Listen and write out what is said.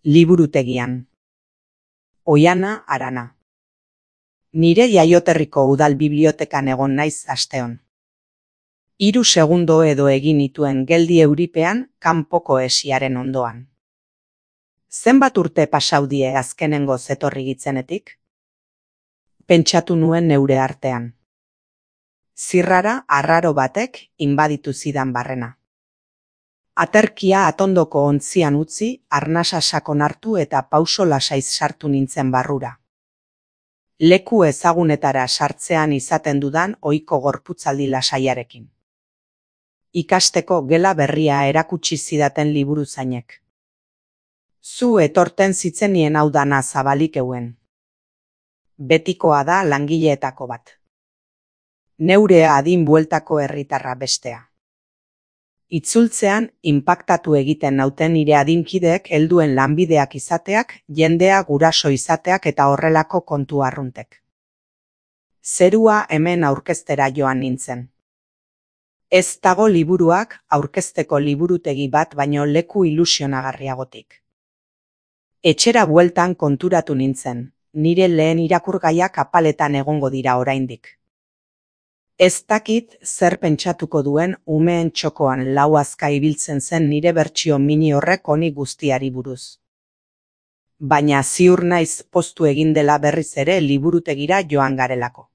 Liburutegian. Oiana Arana. Nire jaioterriko udal bibliotekan egon naiz asteon. 3 segundo edo egin nituen geldi euripean kanpoko esiaren ondoan. Zenbat urte pasau die azkenengo zetorri gitzenetik? Pentsatu nuen neure artean. Zirrara arraro batek inbaditu zidan barrena. Aterkia atondoko ontzian utzi, arnasa sakon hartu eta pauso lasaiz sartu nintzen barrura. Leku ezagunetara sartzean izaten dudan ohiko gorputzaldi lasaiarekin. Ikasteko gela berria erakutsi zidaten liburuzainek. Zu etorten zitzenien hau dana zabalik euen. Betikoa da langileetako bat. Neure adin bueltako herritarra bestea. Itzultzean inpaktatu egiten nauten nire adinkideek helduen lanbideak izateak, jendea guraso izateak eta horrelako kontu arruntek. Zerua hemen aurkeztera joan nintzen. Ez dago liburuak aurkezteko liburutegi bat baino leku ilusionagarriagotik. Etxera bueltan konturatu nintzen, nire lehen irakurgaiak apaletan egongo dira oraindik. Ez dakit zer pentsatuko duen umeen txokoan lau azka ibiltzen zen nire bertsio mini horrek honi guztiari buruz. Baina ziur naiz poztu egin dela berriz ere liburutegira joan garelako.